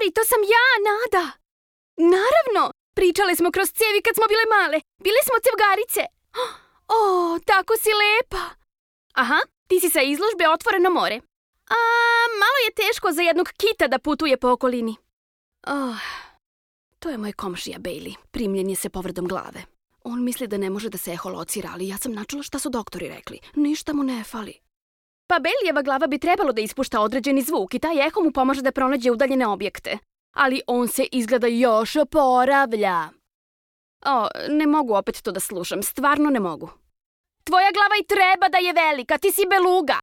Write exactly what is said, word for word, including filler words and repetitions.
Govori, to sam ja, Nada. Naravno, pričale smo kroz cijevi kad smo bile male. Bile smo cevgarice. O, tako si lepa. Aha, ti si sa izložbe Otvoreno more. A, malo je teško za jednog kita da putuje po okolini. Oh, to je moj komšija Bailey. Primljen je se povredom glave. On misli da ne može da se eholocira, ali ja sam načula šta su doktori rekli. Ništa mu ne fali. Pa Baileyjeva glava bi trebalo da ispušta određeni zvuk i taj eho mu pomaže da pronađe udaljene objekte. Ali on se izgleda još oporavlja. O, ne mogu opet to da slušam, stvarno ne mogu. Tvoja glava i treba da je velika, ti si beluga.